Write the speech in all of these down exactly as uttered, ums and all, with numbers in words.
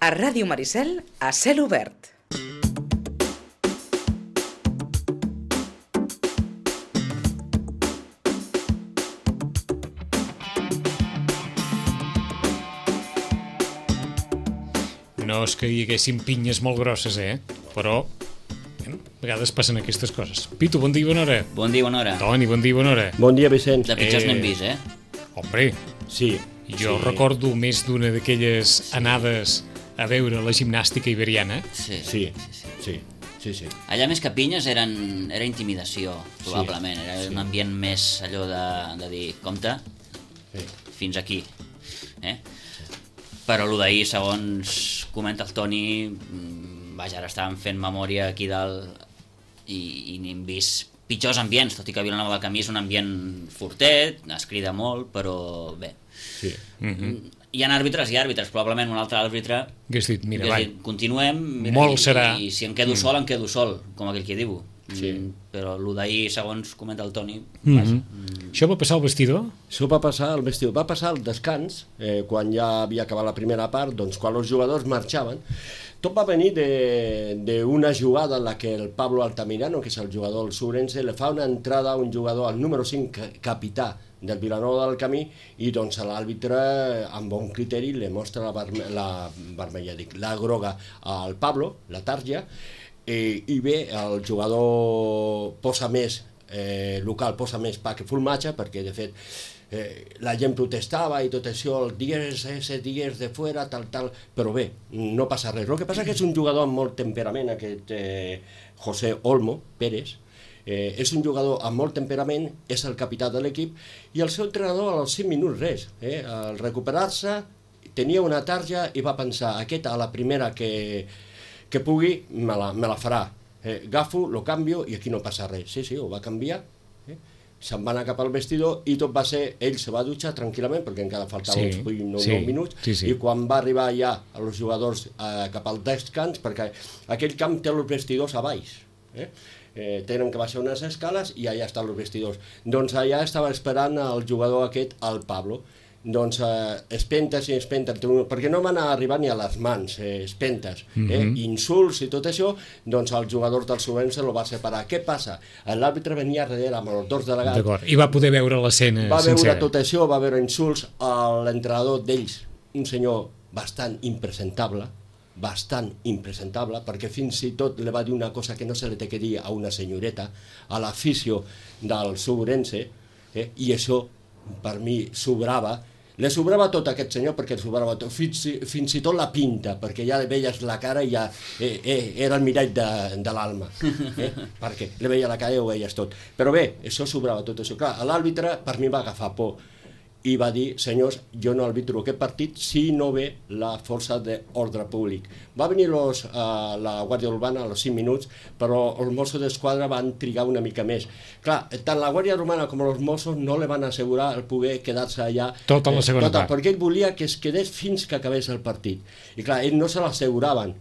A Ràdio Maricel, a cel obert. No és que hi haguessin pinyes molt grosses, eh? Però, bueno, a vegades passen aquestes coses. Pitu, bon dia i bona hora. Bon dia i bona hora. Toni, bon dia i bona hora. Bon dia, Vicenç. De pitjors Eh, n'hem vist, eh? Hombre, Sí. jo sí. recordo més d'una d'aquelles anades a veure la gimnàstica iberiana. Sí. Sí, sí, sí, sí. Allà més que pinyes eren, era intimidació, probablement. Era sí. un ambient més allò de, de dir, compte, Sí. fins aquí. Eh? Però el d'ahir, segons comenta el Toni, mm, vaja, ara estàvem fent memòria aquí dalt i, i n'hem vist pitjors ambients, tot i que Vilanova del Camí és un ambient fortet, es crida molt, però bé. Sí. Mm-hmm. Hi ha àrbitres i àrbitres, probablement un altre àrbitre Hagués dit, mira, hagués va, dit, continuem, mira, Molt i, serà. i si em quedo sol, em quedo sol, com aquell que diu. Sí. Mm, però el d'ahir, segons comenta el Toni, Mhm. vaja, Això va passar al vestidor? Això va passar al vestidor, va passar al descans, eh, quan ja havia acabat la primera part, doncs quan els jugadors marxaven. Tot va venir d'una jugada en la que el Pablo Altamirano, que és el jugador del Subrense, le fa una entrada a un jugador, al número cinc, capità del Vilanova del Camí, i doncs l'àrbitre, amb bon criteri, le mostra la, verme la vermella, dic, la groga al Pablo, la tarja, eh, i bé, el jugador posa més, eh, local posa més pa que formatge, perquè de fet eh, la gent protestava i tot això, els dies, ese dies de fora, tal, tal, però bé, no passa res. El que passa que és un jugador amb molt temperament, aquest eh, José Olmo Pérez, eh, és un jugador amb molt temperament, és el capità de l'equip, i el seu entrenador als cinc minuts res, eh, al recuperar-se, tenia una tarja i va pensar, aquest a la primera que, que pugui, me la, me la farà. Eh, agafo, lo canvio i aquí no passa res. Sí, sí, ho va canviar, eh? Se'n va anar cap al vestidor i tot va ser, ell se va dutxar tranquil·lament perquè encara faltava Sí, uns vuit o nou sí, minuts, sí, sí. i quan va arribar ja els jugadors eh, cap al descans, perquè aquell camp té els vestidors a baix, eh? Eh, tenen que baixar unes escales i allà estan els vestidors. Doncs allà estava esperant el jugador aquest, el Pablo. Doncs eh, espentes i espentes, perquè no van arribar ni a les mans, eh, espentes, eh, Mhm. insults i tot això, doncs el jugador del Subrense lo va separar. Què passa? L'àrbitre venia darrere amb els dos delegats, D'acord. I va poder veure l'escena va veure sencera. tot això, va veure insults a l'entrenador d'ells, un senyor bastant impresentable, bastant impresentable, perquè fins i tot li va dir una cosa que no se li té que dir a una senyoreta, a l'afició del Subrense, eh, i això per mi sobrava. Le sobrava tot a aquest senyor perquè li sobrava tot, fins, fins i tot la pinta, perquè ja li veies la cara i ja eh, eh, era el mirall de, de l'alma, eh? Perquè li veia la cara i ho veies tot. Però bé, això sobrava tot això. Clar, l'àrbitre per mi va agafar por i va dir, senyors, jo no arbitro aquest partit si no ve la força d'ordre públic. Va venir los, uh, la Guàrdia Urbana a los cinc minuts, però els Mossos d'Esquadra van trigar una mica més. Clar, tant la Guàrdia Urbana com els Mossos no li van assegurar el poder quedar-se allà Tota la segona tota, part. perquè ell volia que es quedés fins que acabés el partit. I clar, ell no se l'asseguraven.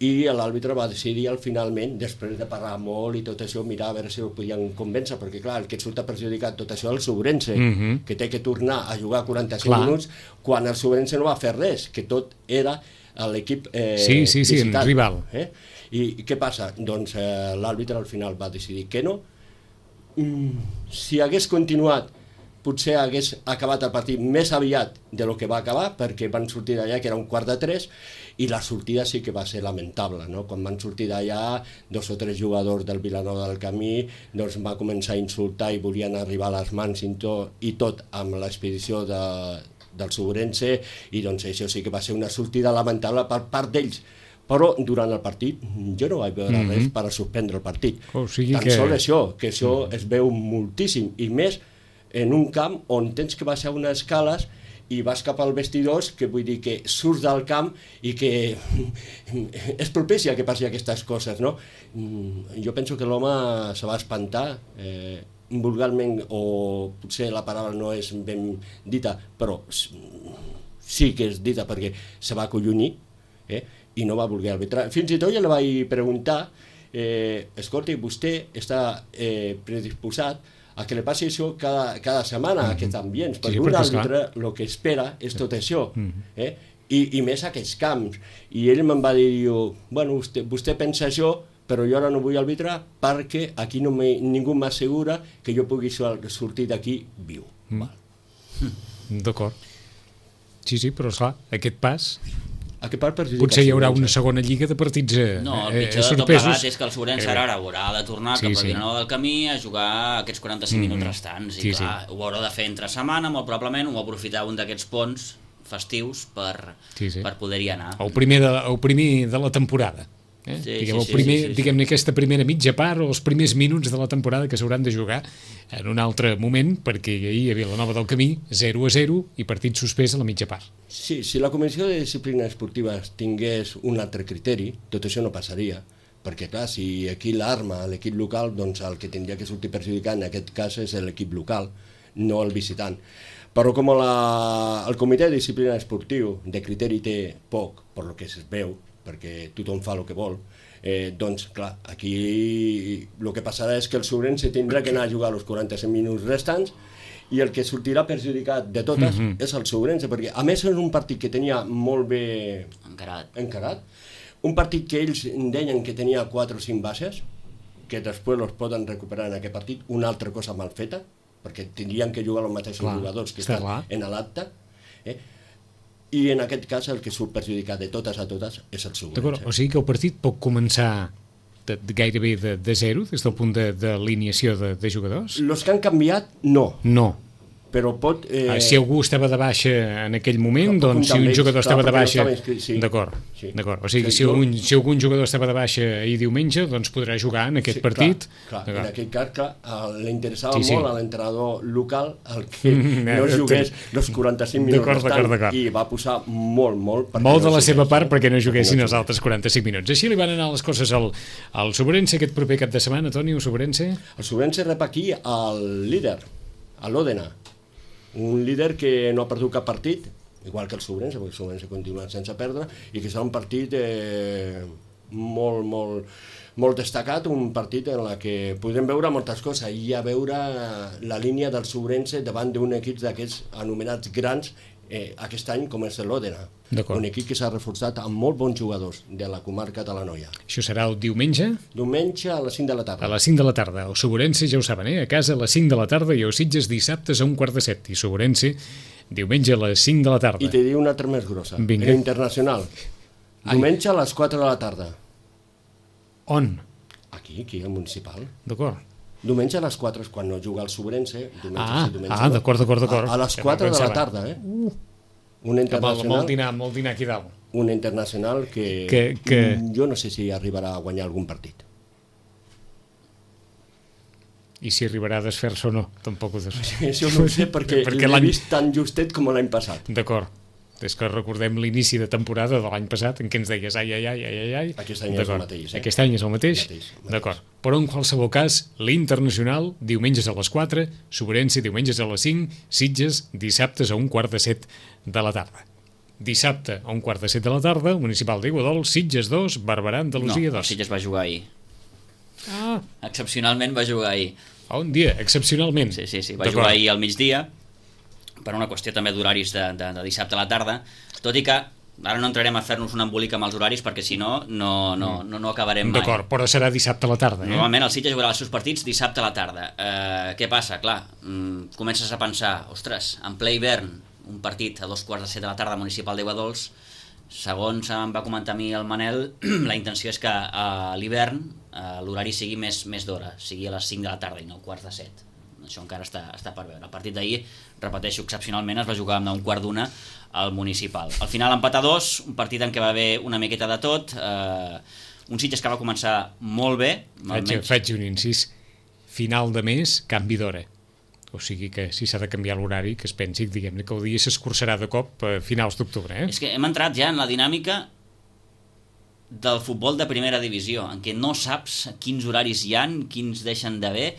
I l'àrbitre va decidir al finalment, després de parlar molt i tot això, mirar a veure si ho podien convèncer, perquè clar, el que surt perjudicat tot això és el Subrense, Mhm. que té que tornar a jugar quaranta-cinc Clar. minuts, quan el Subrense no va fer res, que tot era l'equip eh, Sí, sí, sí, visitant, rival. Eh? I, I què passa? Doncs eh, l'àrbitre al final va decidir que no. Mm, si hagués continuat, potser hagués acabat el partit més aviat de lo que va acabar, perquè van sortir d'allà, que era un quart de tres, i la sortida sí que va ser lamentable, no? Quan van sortir d'allà, dos o tres jugadors del Vilanova del Camí doncs va començar a insultar i volien arribar a les mans i tot, i tot amb l'expedició de, del Subrense, i doncs això sí que va ser una sortida lamentable per part d'ells. Però durant el partit jo no vaig veure Mhm. res per a suspendre el partit. O sigui Tan que- sols això, que això es veu moltíssim, i més en un camp on tens que baixar unes escales i vas cap al vestidors, que vull dir que surts del camp i que és propici que passi aquestes coses, no? Jo penso que l'home se va espantar, eh, vulgarment, o potser la paraula no és ben dita, però sí que és dita perquè se va acollonir, eh, i no va voler arbitrar. Fins i tot jo li vaig preguntar, eh, escolti, vostè està eh, predisposat a que li passi això cada, cada setmana, mm -hmm. aquest ambient, perquè sí, un perquè, àrbitre el que espera és tot això, mm -hmm. eh? I, i més aquests camps. I ell me'n va dir, diu, bueno, vostè, vostè pensa això, però jo ara no vull arbitrar perquè aquí no me, ningú m'assegura que jo pugui sortir d'aquí viu. Mm. D'acord. Sí, sí, però esclar, aquest pas... Aquest pas perjudica potser hi haurà una segona lliga de partits eh, no, el pitjor eh, de tot sorpresos. plegat és que el Sobrense ara haurà de tornar sí, cap al sí. Vilanova del Camí a jugar aquests quaranta-cinc mm-hmm. minuts restants. I sí, clar, sí. ho haurà de fer entre setmana, molt probablement, o aprofitar un d'aquests ponts festius per, sí, sí. per poder-hi anar. El primer de, el primer de la temporada. Eh? Sí, diguem, sí, el primer, sí, sí, sí. diguem-ne aquesta primera mitja part o els primers minuts de la temporada que s'hauran de jugar en un altre moment, perquè ahir a Vilanova del Camí zero a zero i partit suspès a la mitja part. Sí, si la Comissió de Disciplina Esportiva tingués un altre criteri, tot això no passaria, perquè clar, si aquí l'arma, l'equip local, doncs el que tindria que sortir perjudicat en aquest cas és l'equip local, no el visitant. Però com la, el Comitè de Disciplina Esportiu de criteri té poc, per lo que es veu, perquè tothom fa el que vol, eh, doncs clar, aquí el que passarà és que el Sobrense tindrà que anar a jugar els quaranta-cinc minuts restants i el que sortirà perjudicat de totes mm-hmm. és el Sobrense, perquè a més és un partit que tenia molt bé encarat. encarat, un partit que ells deien que tenia quatre o cinc bases, que després els poden recuperar en aquest partit, una altra cosa mal feta, perquè tindrien que jugar els mateixos clar, jugadors que estan clar. en l'acte, eh? I en aquest cas el que surt perjudicat de totes a totes és el Sobrense. D'acord, o sigui que el partit pot començar de, de gairebé de, de zero, des del punt de, de alineació de, de jugadors? Els que han canviat, no. No. Però pot... Eh... Ah, si algú estava de baixa en aquell moment, doncs si un ells, jugador estava clar, de baixa... No inscrit, sí. D'acord, sí. d'acord. O sigui, sí, si, algun, si algun jugador estava de baixa ahir diumenge, doncs podrà jugar en aquest sí, partit. Clar, clar. En aquest cas, clar, l'interessava sí, sí. molt a l'entrenador local el que no jugués els quaranta-cinc minuts restant i va posar molt, molt... Molt de no la seva part eh? perquè no juguessin no els altres quaranta-cinc minuts. Així li van anar les coses al, al Sobrense aquest proper cap de setmana, Toni, el Sobrense? El Sobrense rep aquí el líder, a l'Òdena. Un líder que no ha perdut cap partit, igual que el Sobrense, perquè el Sobrense continua sense perdre, i que serà un partit eh, molt, molt, molt destacat, un partit en la que podrem veure moltes coses, i a veure la línia del Sobrense davant d'un equip d'aquests anomenats grans eh, aquest any, com és l'Òdena. Un equip que s'ha reforçat amb molt bons jugadors de la comarca de l'Anoia. Això serà el diumenge? Diumenge a les cinc de la tarda. A les cinc de la tarda. El Sobrense, ja ho saben, eh? A casa a les cinc de la tarda i a Sitges dissabtes a un quart de set. I Sobrense, diumenge a les cinc de la tarda. I te diu una altra més grossa. Vinga. Internacional. Diumenge a les quatre de la tarda. On? Aquí, aquí, al municipal. D'acord. Diumenge a les quatre, quan no juga el Sobrense. Ah, sí, ah d'acord, d'acord, d'acord. A, a les quatre de la tarda, eh? Uh. Un internacional, molt dinar, molt dinar aquí dalt. Un internacional que, que, que jo no sé si arribarà a guanyar algun partit. I si arribarà a desfer-se o no, tampoc ho sé. Això no ho sé perquè, perquè l'he vist tan justet com l'any passat. D'acord. És que recordem l'inici de temporada de l'any passat en què ens deies ai, ai, ai, ai, ai, ai. Aquest any és el mateix. Eh? Aquest any és el mateix? mateix, mateix. D'acord. Però en qualsevol cas, l'Internacional, diumenges a les quatre, Sobrense, diumenges a les cinc, Sitges, dissabtes a un quart de set de la tarda. Dissabte a un quart de set de la tarda, Municipal d'Iguadols, Sitges dos, Barberà, Andalusia dos. No, Sitges va jugar ahir. Ah. Excepcionalment va jugar ahir. A un dia, excepcionalment. Sí, sí, sí. Va jugar ahir al migdia, per una qüestió també d'horaris de, de, de dissabte a la tarda, tot i que ara no entrarem a fer-nos un embolic amb els horaris perquè si no, no, no, no, no acabarem mai. D'acord, però serà dissabte a la tarda. Eh? Normalment el Sitges jugarà els seus partits dissabte a la tarda. Eh, què passa? Clar, mm, comences a pensar, ostres, en ple hivern, un partit a dos quarts de set de la tarda municipal d'Iguadols, segons em va comentar a mi el Manel, la intenció és que a l'hivern eh, l'horari sigui més, més d'hora, sigui a les cinc de la tarda i no quarts de set. Això encara està, està per veure. El partit d'ahir, repeteixo, excepcionalment es va jugar amb un quart d'una al municipal. Al final empat a dos, un partit en què va haver una miqueta de tot, eh, un Sitges que va començar molt bé. Faig, almenys... faig un incís, final de mes, canvi d'hora. O sigui que si s'ha de canviar l'horari, que es pensi diguem-ne que el dia s'escurçarà de cop a finals d'octubre. Eh? És que hem entrat ja en la dinàmica del futbol de primera divisió, en què no saps quins horaris hi han, quins deixen d'haver.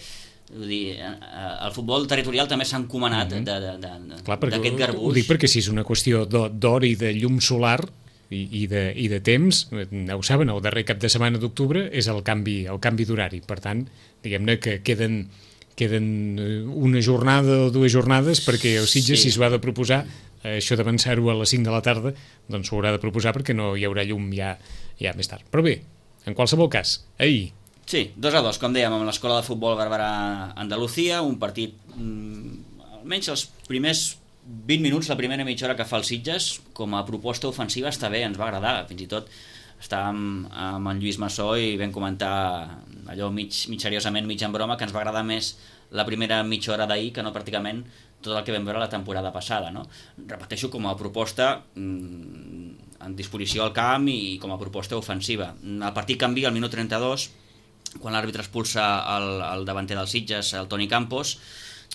Vull dir, el futbol territorial també s'ha encomanat mm-hmm. d'aquest garbuix. Ho dic perquè si és una qüestió d'hora i de llum solar i, i, de, i de temps, ho saben, el darrer cap de setmana d'octubre és el canvi, el canvi d'horari. Per tant, diguem-ne que queden, queden una jornada o dues jornades perquè el Sitges, sí. si es va de proposar, això d'avançar-ho a les cinc de la tarda doncs s'ho haurà de proposar perquè no hi haurà llum ja, ja més tard. Però bé, en qualsevol cas, ahir... Sí, dos a dos, com dèiem, amb l'Escola de Futbol Barberà-Andalucía, un partit, mmm, almenys els primers vint minuts, la primera mitja hora que fa el Sitges, com a proposta ofensiva està bé, ens va agradar, fins i tot estàvem amb en Lluís Massó i vam comentar allò mig, mig seriosament, mig en broma, que ens va agradar més la primera mitja hora d'ahir que no pràcticament tot el que vam veure la temporada passada, no? Repeteixo, com a proposta mmm, en disposició al camp i com a proposta ofensiva. El partit canvia al minut trenta-dos, quan l'àrbitre expulsa el, el davanter del Sitges, el Toni Campos,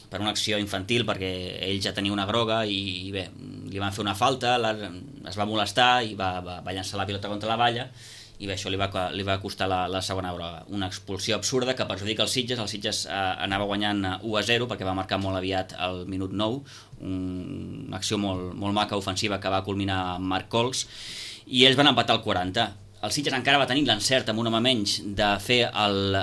per una acció infantil, perquè ell ja tenia una groga i, i bé, li van fer una falta, la, es va molestar i va, va, va llançar la pilota contra la valla i bé, això li va, li va costar la, la segona groga. Una expulsió absurda que perjudica els Sitges. El Sitges eh, anava guanyant u a zero perquè va marcar molt aviat al minut nou, un, una acció molt, molt maca ofensiva que va culminar amb Marc Cols, i ells van empatar al quaranta. El Sitges encara va tenir l'encert amb un home menys de fer el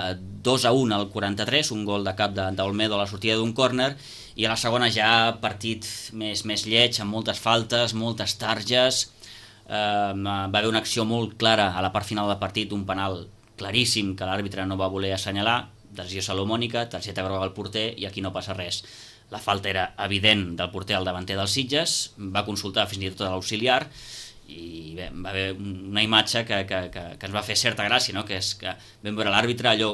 dos a un al quaranta-tres, un gol de cap d'Olmedo a la sortida d'un córner, i a la segona ja partit més, més lleig, amb moltes faltes, moltes targes. Eh, va haver una acció molt clara a la part final del partit, un penal claríssim que l'àrbitre no va voler assenyalar, decisió salomònica, targeta groga al porter, i aquí no passa res. La falta era evident del porter al davanter dels Sitges, va consultar fins i tot a l'auxiliar, i bé, va haver una imatge que, que, que, que ens va fer certa gràcia, no? Que és que vam veure l'àrbitre allò,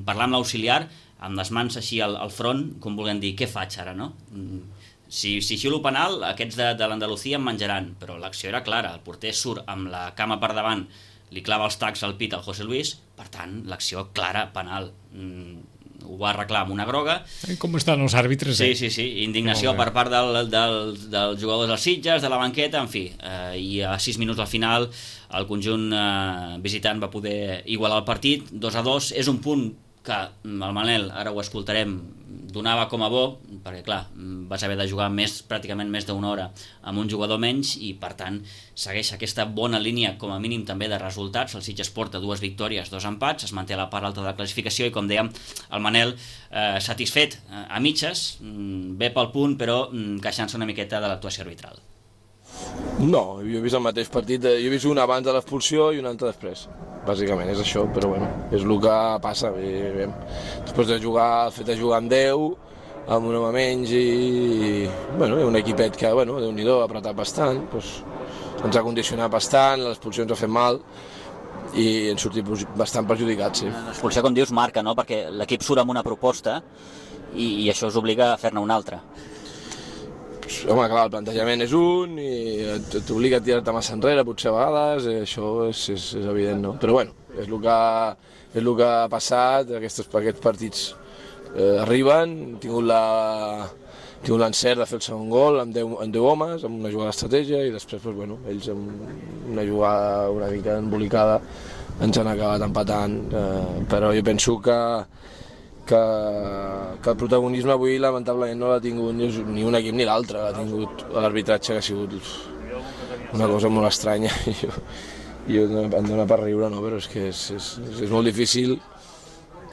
parlar amb l'auxiliar amb les mans així al, al front, com volent dir, què faig ara, no? Si, si xiulo penal, aquests de, de l'Andalucía em menjaran, però l'acció era clara, el porter surt amb la cama per davant, li clava els tacs al pit al José Luis, per tant, l'acció clara, penal. Ho va arreglar amb una groga. Com estan els àrbitres, eh? Sí, sí, sí, indignació per part del, del, dels jugadors dels Sitges, de la banqueta, en fi, eh, i a sis minuts al final el conjunt eh, visitant va poder igualar el partit, dos a dos. És un punt que el Manel, ara ho escoltarem, donava com a bo, perquè clar, vas haver de jugar més, pràcticament més d'una hora amb un jugador menys, i per tant segueix aquesta bona línia com a mínim també de resultats. El Sitges porta dues victòries, dos empats, es manté a la part alta de la classificació, i com dèiem, el Manel eh, satisfet eh, a mitges, bé pel punt, però queixant-se una miqueta de l'actuació arbitral. No, jo he vist el mateix partit, jo he vist un abans de l'expulsió i un altre després, bàsicament és això, però bueno, és el que passa. Després de jugar, el fet de jugar amb deu, amb un home menys, i bueno, un equipet que, bueno, Déu-n'hi-do, ha apretat bastant, doncs, ens ha condicionat bastant, l'expulsió ens ha fet mal, i hem sortit bastant perjudicats, sí. L'expulsió, com dius, marca, no? Perquè l'equip surt amb una proposta i, i això us obliga a fer-ne una altra. Home, clar, el plantejament és un i t'obliga a tirar-te massa enrere, potser a vegades, eh, això és, és, és evident, no? Però bueno, és el que, és el que ha passat, aquests, aquests partits eh, arriben, hem tingut la... tingut l'encert de fer el segon gol amb deu, amb deu homes, amb una jugada d'estratègia, i després, doncs, bueno, ells amb una jugada una mica embolicada ens han acabat empatant, eh, però jo penso que Que, que el protagonisme avui lamentablement no l'ha tingut ni, ni un equip ni l'altre, l'ha tingut l'arbitratge, que ha sigut una cosa molt estranya. Jo, jo em dóna per riure, no? Però és que és, és, és molt difícil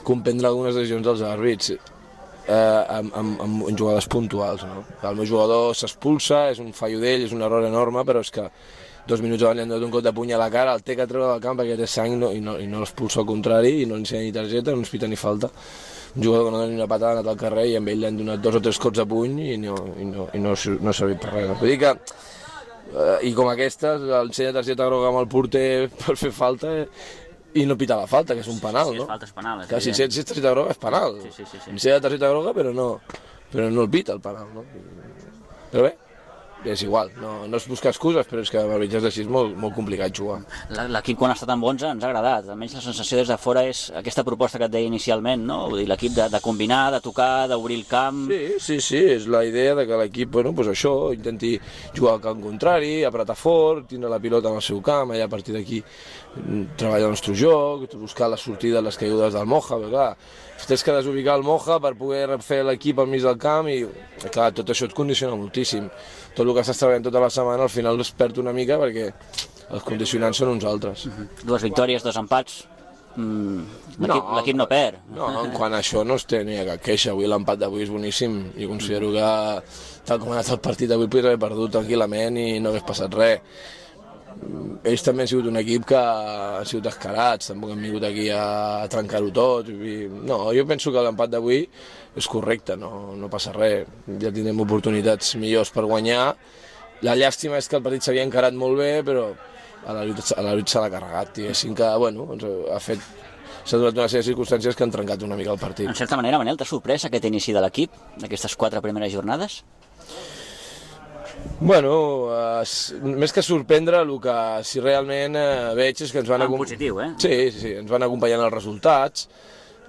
comprendre algunes decisions dels àrbits eh, amb, amb, amb jugades puntuals, no? El meu jugador s'expulsa, és un fallo d'ell, és un error enorme, però és que dos minuts abans li han donat un cop de puny a la cara, el té que treure del camp perquè té sang, no, i no, i no l'expulsa al contrari, i no li ensenya ni targeta, no ens pita ni falta. Un jugador que no dona ni una patada, ha anat al carrer, i amb ell li han donat dos o tres cops de puny i no, i no, i no, no ha servit per res. Vull dir que, eh, i com aquestes, ensenya targeta groga amb el porter per fer falta, eh, i no pita la falta, que és un penal, no? Si és falta, és penal. És que si és targeta groga és penal. Sí, sí, sí, sí. Ensenya targeta groga, però no, però no el pita el penal, no? Però bé, és igual, no, no és buscar excuses, però és que amb arbitratges així és molt, molt complicat jugar. L'equip, quan ha estat amb onze, ens ha agradat. Almenys la sensació des de fora és aquesta proposta que et deia inicialment, no? Vull dir, l'equip de, de combinar, de tocar, d'obrir el camp... Sí, sí, sí, és la idea de que l'equip, bueno, pues això, intenti jugar al camp contrari, apretar fort, tindre la pilota en el seu camp, allà a partir d'aquí treballar el nostre joc, buscar la sortida de les caigudes del Moja, però clar, tens que desubicar el Moja per poder fer l'equip al mig del camp, i clar, tot això et condiciona moltíssim. Tot el que estàs treballant tota la setmana al final es perd una mica perquè els condicionants són uns altres. Uh-huh. Dues victòries, dos empats, mm, l'equip no, no perd. No, en quant a això no es té ni cap queixa. Avui l'empat d'avui és boníssim. Jo considero que, tal com ha anat el partit d'avui, podria haver perdut tranquil·lament i no hagués passat res. Ells també han sigut un equip que han sigut descarats, tampoc han vingut aquí a trencar-ho tot. No, jo penso que l'empat d'avui és correcte, no, no passa res. Ja tindrem oportunitats millors per guanyar. La llàstima és que el partit s'havia encarat molt bé, però a la lluita, a la lluita s'ha carregat. Diguéssim que, bueno, ha fet... s'ha donat una sèrie de circumstàncies que han trencat una mica el partit. En certa manera, Manel, t'ha sorprès aquest inici de l'equip, d'aquestes quatre primeres jornades? Bueno, eh, més que sorprendre, el que si realment eh, veig és que ens van... En positiu, eh? Sí, sí, sí, ens van acompanyant els resultats,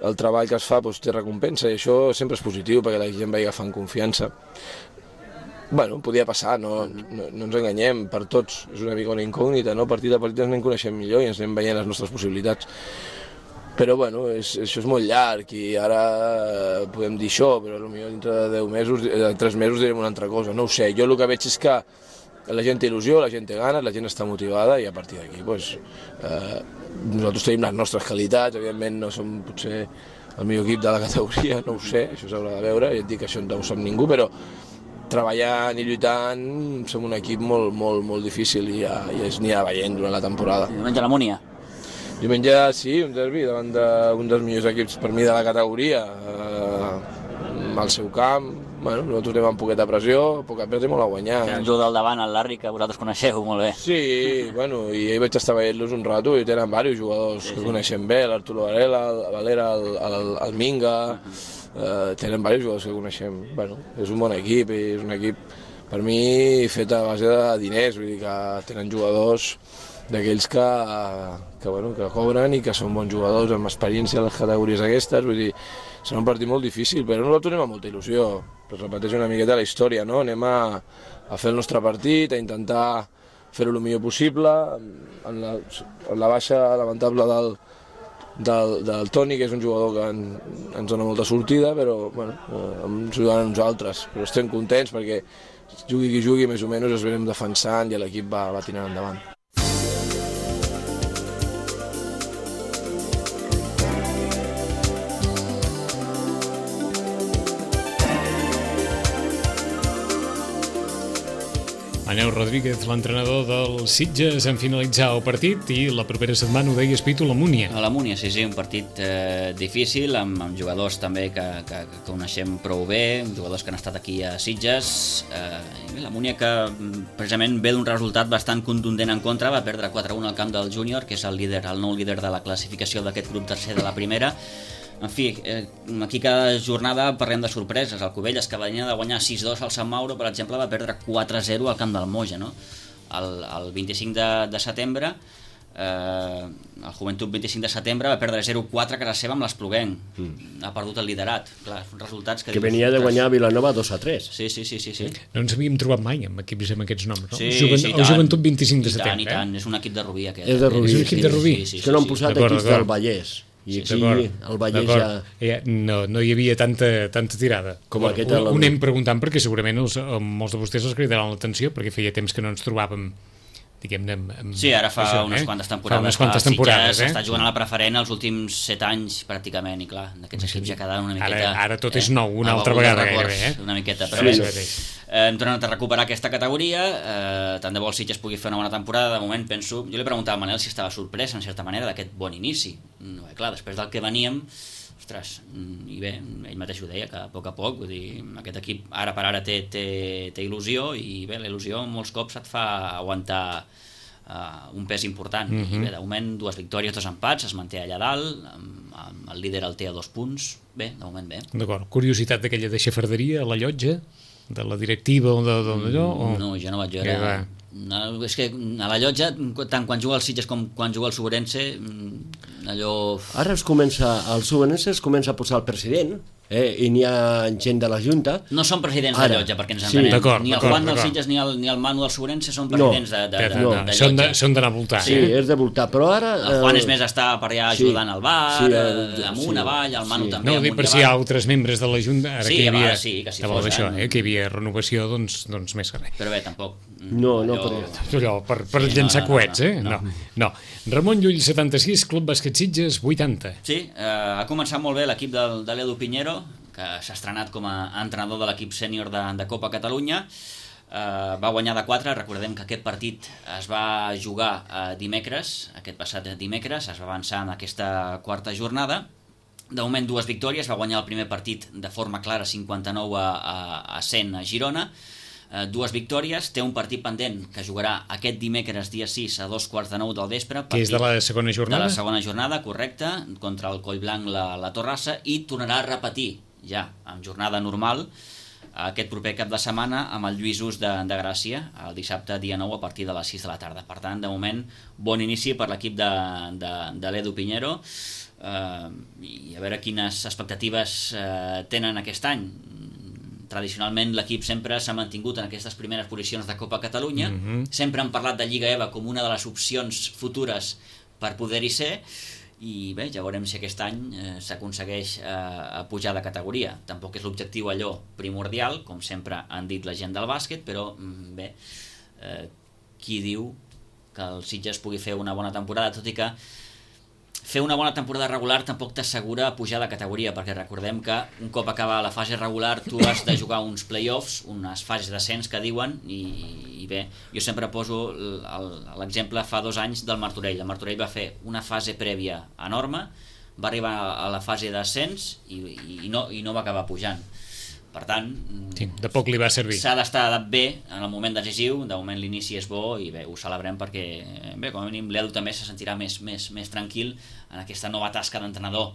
el treball que es fa doncs, té recompensa i això sempre és positiu perquè la gent vagi agafant confiança. Bueno, podia passar, no, no, no ens enganyem, per tots és una mica una incògnita, no? Partit a partit ens anem coneixent millor i ens anem veient les nostres possibilitats. Però bueno, és, això és molt llarg i ara podem dir això, però potser dintre de deu mesos, de tres mesos direm una altra cosa, no ho sé. Jo el que veig és que la gent té il·lusió, la gent té ganes, la gent està motivada i a partir d'aquí doncs, eh, nosaltres tenim les nostres qualitats, evidentment no som potser el millor equip de la categoria, no ho sé, això s'haurà de veure, ja et dic que això no ho sap ningú, però treballant i lluitant som un equip molt, molt, molt difícil i ja, ja es anirà veient durant la temporada. Diumenge a la Múnia. Diumenge sí, un derbi davant d'un dels millors equips per mi de la categoria, eh, al seu camp. Bueno, nosaltres anem amb poqueta pressió, poc a perdre i molt a guanyar. El jugador del davant, el Larry, que vosaltres coneixeu molt bé. Sí, bueno, i ahir vaig estar veient-los un rato i tenen diversos jugadors sí, que sí. coneixem bé, l'Arturo Varela, el Valera, el, el, el Minga, uh-huh. eh, tenen diversos jugadors que coneixem. Bueno, és un bon equip i és un equip, per mi, fet a base de diners, vull dir que tenen jugadors d'aquells que, que, bueno, que cobren i que són bons jugadors amb experiència a les categories aquestes, vull dir, serà un partit molt difícil, però nosaltres anem amb molta il·lusió, es repeteix una miqueta la història, no? Anem a, a fer el nostre partit, a intentar fer-ho el millor possible, en la, en la baixa lamentable del, del, del Toni, que és un jugador que en, ens dona molta sortida, però bueno, ens ajudant a nosaltres, però estem contents perquè jugui qui jugui, més o menys es venim defensant i l'equip va, va tirant endavant. Manel Rodríguez, l'entrenador del Sitges, en finalitzar el partit i la propera setmana, ho deies, Pitu, la Múnia. A la Múnia, sí, sí, un partit eh, difícil, amb, amb jugadors també que, que, que coneixem prou bé, jugadors que han estat aquí a Sitges. Eh, la Múnia que precisament ve d'un resultat bastant contundent en contra, va perdre quatre a un al camp del Júnior, que és el líder, el nou líder de la classificació d'aquest grup tercer de la primera. En fi, eh, aquí cada jornada parlem de sorpreses. El Cubelles, que venia de guanyar sis dos al Sant Mauro, per exemple, va perdre quatre a zero al camp del Moja, no? El, el vint-i-cinc de, de setembre, eh, el Joventut vint-i-cinc de setembre va perdre zero quatre a casa seva amb l'Espluguenc. Mm. Ha perdut el liderat. Clar, resultats que... Que venia de guanyar a Vilanova dos a tres. Sí, sí, sí, sí, sí. No ens havíem trobat mai amb equips amb aquests noms, no? Sí, Juvent sí, el Joventut vint-i-cinc de i setembre. tant, i tant. Eh? És un equip de Rubí, aquest. És de Rubí. És un equip de Rubí. Sí, sí, sí, és que no han sí, posat sí. equips del Vallès. I aquí el Vallès ja... ja... No, no hi havia tanta, tanta tirada. Com ho, aquest ho, ho anem preguntant perquè segurament els, molts de vostès els cridaran l'atenció perquè feia temps que no ens trobàvem, diguem-ne... Amb, sí, ara fa això, unes eh? quantes temporades. Fa unes quantes temporades, eh? S'està jugant a la preferent els últims set anys, pràcticament, i clar, d'aquests equips ja quedaven una miqueta... Ara, ara tot és eh? nou, una altra vegada gairebé, eh? Una miqueta, però sí, bé, sí. Eh, hem tornat a recuperar aquesta categoria, eh, tant de bo el Sitges pugui fer una bona temporada. De moment penso, jo li preguntava a Manel si estava sorprès en certa manera d'aquest bon inici. No, eh, clar, després del que veníem, ostres, i bé, ell mateix ho deia, que a poc a poc, vull dir, aquest equip ara per ara té, té, té il·lusió, i bé, la il·lusió molts cops et fa aguantar uh, un pes important. Mm-hmm. I bé, de moment dues victòries, dos empats, es manté allà dalt, amb, amb el líder el té a dos punts, bé, de moment bé. D'acord, curiositat d'aquella de xafarderia a la llotja, de la directiva o d'allò? O... No, jo no vaig veure... No, és que a la llotja, tant quan juga el Sitges com quan juga el Soberense, allò... Ara es comença, el Soberense es comença a posar el president, eh, i n'hi ha gent de la Junta. No són presidents Ara, de llotja, perquè ens sí. entenem. D'acord, Ni el d'acord, Juan dels d'acord. Sitges ni el, ni el Manu del Sobrense són presidents de, de, de, No, de, de són de- llotja. són d'anar a voltar, Sí, eh? és de voltar, però ara... El Juan eh, és més està per allà sí, ajudant al bar, sí, eh, eh, amunt, sí, avall, el Manu sí. també No, amunt dic per i si hi ha avall. altres membres de la Junta, ara Sí, que hi a havia, vegades sí, que si estava fos, això, eh? eh, que hi havia renovació, doncs, doncs més que res. Però bé, tampoc... No, no, allò- però- Allò, per, per Sí, llançar no, no, coets, no, eh? no. No, no. Ramon Llull, setanta-sis, Club Bàsquet Sitges, vuitanta. Sí, eh, ha començat molt bé l'equip del, de l'Edu Piñero, que s'ha estrenat com a entrenador de l'equip sènior de, de Copa Catalunya. Eh, va guanyar de quatre. Recordem que aquest partit es va jugar eh, dimecres, aquest passat dimecres, es va avançar en aquesta quarta jornada. De moment dues victòries, va guanyar el primer partit de forma clara, cinquanta-nou a, a, a cent a Girona. Eh, dues victòries, té un partit pendent que jugarà aquest dimecres dia sis a dos quarts de nou del vespre. Que és de la segona jornada? De la segona jornada, correcte, contra el Collblanc la, la Torrassa, i tornarà a repetir ja en jornada normal aquest proper cap de setmana amb el Lluïsos de, de Gràcia el dissabte dia nou a partir de les sis de la tarda. Per tant, de moment, bon inici per l'equip de, de, de l'Edu Piñero, eh, i a veure quines expectatives eh, tenen aquest any. Tradicionalment l'equip sempre s'ha mantingut en aquestes primeres posicions de Copa Catalunya. Mhm. Sempre han parlat de Lliga EVA com una de les opcions futures per poder-hi ser, i bé, ja veurem si aquest any eh, s'aconsegueix eh, pujar de categoria. Tampoc és l'objectiu allò primordial, com sempre han dit la gent del bàsquet, però mm, bé, eh, qui diu que el Sitges pugui fer una bona temporada, tot i que fer una bona temporada regular tampoc t'assegura pujar de categoria, perquè recordem que un cop acaba la fase regular tu has de jugar uns play-offs, unes fases d'ascens que diuen, i, i bé, jo sempre poso l'exemple fa dos anys del Martorell. El Martorell va fer una fase prèvia enorme, va arribar a la fase d'ascens i, i, no, i no va acabar pujant. Per tant, Sí, de poc li va servir. s'ha d'estar bé en el moment decisiu. De moment l'inici és bo i bé, ho celebrem perquè bé, com a mínim l'Edu també se sentirà més, més, més tranquil en aquesta nova tasca d'entrenador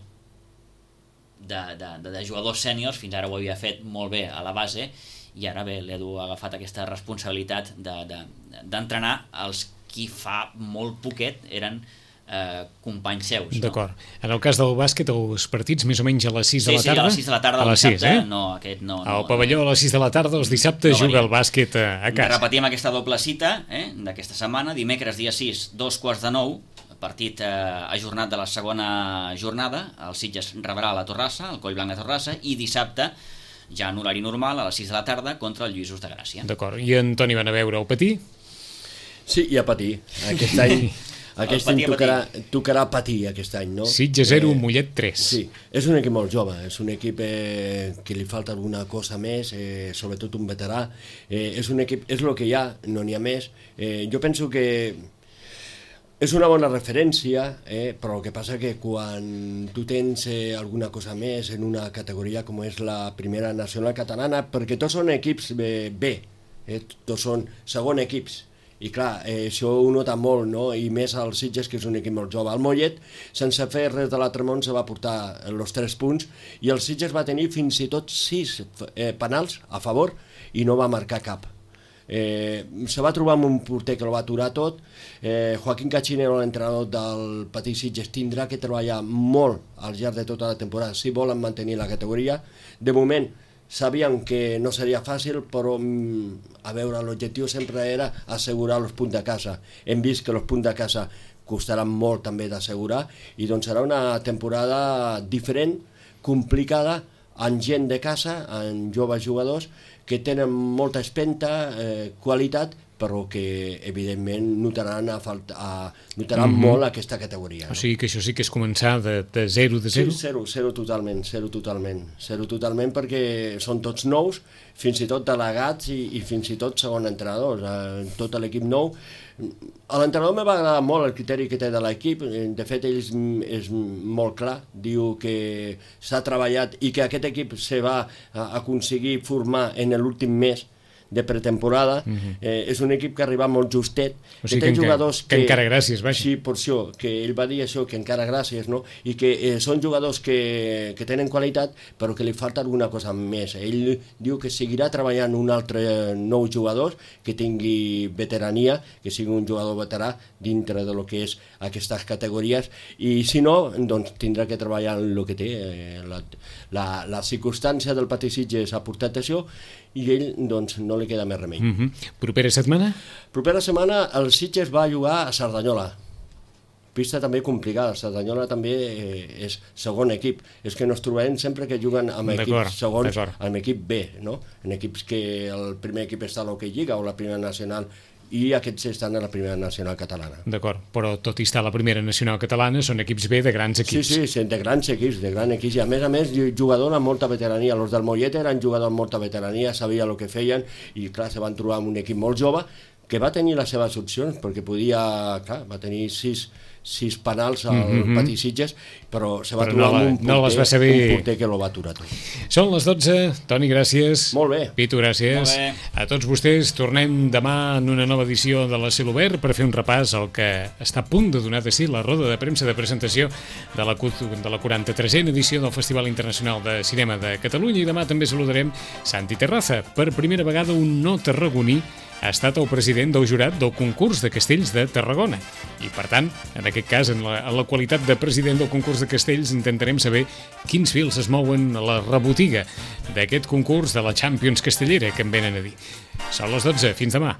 de, de, de, de jugadors sèniors. Fins ara ho havia fet molt bé a la base i ara bé, l'Edu ha agafat aquesta responsabilitat d'entrenar de, de, els qui fa molt poquet eren eh, companys seus. D'acord. En el cas del bàsquet, els partits més o menys a les sis Sí, de la sí, tarda? a les sis de la tarda a del les sis, dissabte, eh? no, aquest no. no Al pavelló a les sis de la tarda, els dissabtes No juga varia. el bàsquet a, a casa. Repetim aquesta doble cita eh, d'aquesta setmana, dimecres dia sis, dos quarts de nou, partit eh, ajornat de la segona jornada, el Sitges rebrà la Torrassa, el Collblanc de Torrassa, i dissabte, ja en horari normal, a les sis de la tarda, contra el Lluïsos de Gràcia. D'acord. I en Toni van a veure el patí? Sí, i a patir. Aquest any, aquest any patir a tocarà, tocarà patir aquest any, no? Sitges zero, Eh, Mollet tres. Sí, és un equip molt jove, és un equip eh, que li falta alguna cosa més, eh, sobretot un veterà. Eh, és un equip, és el que hi ha, no n'hi ha més. Eh, jo penso que és una bona referència, eh, però el que passa que quan tu tens eh, alguna cosa més en una categoria com és la primera nacional catalana, perquè tots són equips eh, B, eh, tots són segon equips, i clar, eh, això ho nota molt, no? I més al Sitges, que és un equip molt jove. El Mollet, sense fer res de l'altre món, se va portar els tres punts i el Sitges va tenir fins i tot sis eh, penals a favor i no va marcar cap. Eh, se va trobar amb un porter que el va aturar tot. eh, Joaquín Cachinero, l'entrenador del Petit Sitges, tindrà que treballar molt al llarg de tota la temporada si volen mantenir la categoria. De moment sabíem que no seria fàcil, però a veure, l'objectiu sempre era assegurar els punts de casa. Hem vist que els punts de casa costaran molt també d'assegurar i doncs serà una temporada diferent, complicada, amb gent de casa, amb joves jugadors que tenen molta espenta, eh, qualitat, però que evidentment notaran, a falta, a, notaran mm-hmm. molt aquesta categoria. No? O sigui que això sí que és començar de, de zero de Sí, zero? zero, zero totalment, zero totalment, zero totalment perquè són tots nous, fins i tot delegats i, i fins i tot segon entrenadors, eh, tot l'equip nou. A l'entrenador me va agradar molt el criteri que té de l'equip, de fet ell és, és molt clar, diu que s'ha treballat i que aquest equip se va aconseguir formar en l'últim mes de pretemporada, uh-huh. eh, és un equip que ha arribat molt justet, o sigui que té que, jugadors que, que encara gràcies, vaja. Sí, per això, que ell va dir això, que encara gràcies, no? I que eh, són jugadors que, que tenen qualitat, però que li falta alguna cosa més. Ell diu que seguirà treballant un altre nou jugador que tingui veterania, que sigui un jugador veterà dintre de lo que és aquestes categories, i si no, doncs tindrà que treballar en el que té. Eh, la, la, la circumstància del Patí Sitges ha portat això i ell, doncs, no li queda més remei. Mm-hmm. Propera setmana? Propera setmana el Sitges va jugar a Cerdanyola. Pista també complicada, Cerdanyola també eh, és segon equip. És que nos trobem sempre que juguen amb equips segons, amb equip B, no? En equips que el primer equip està a l'Hockey Lliga o la primera nacional, i aquests estan a la primera nacional catalana. D'acord, però tot i estar a la primera nacional catalana són equips B de grans equips. Sí, sí, de grans equips, de grans equips, i a més a més jugador amb molta veterania. Els del Mollet eren jugadors amb molta veterania, sabia el que feien, i clar, se van trobar amb un equip molt jove que va tenir les seves opcions, perquè podia, clar, va tenir sis, sis penals al mm-hmm. Patí Sitges, però se va però trobar no la, amb un porter, no les va saber... un porter que lo va aturar tot. Són les dotze, Toni, gràcies. Molt bé. Pitu, gràcies. A tots vostès, tornem demà en una nova edició de la Celobert per fer un repàs al que està a punt de donar de si la roda de premsa de presentació de la, de la quaranta-tresena edició del Festival Internacional de Cinema de Catalunya, i demà també saludarem Santi Terraza. Per primera vegada un no tarragoní ha estat el president del jurat del concurs de castells de Tarragona. I, per tant, en aquest cas, en la, en la qualitat de president del concurs de castells, intentarem saber quins fils es mouen a la rebotiga d'aquest concurs de la Champions castellera que em venen a dir. Són les dotze. Fins demà.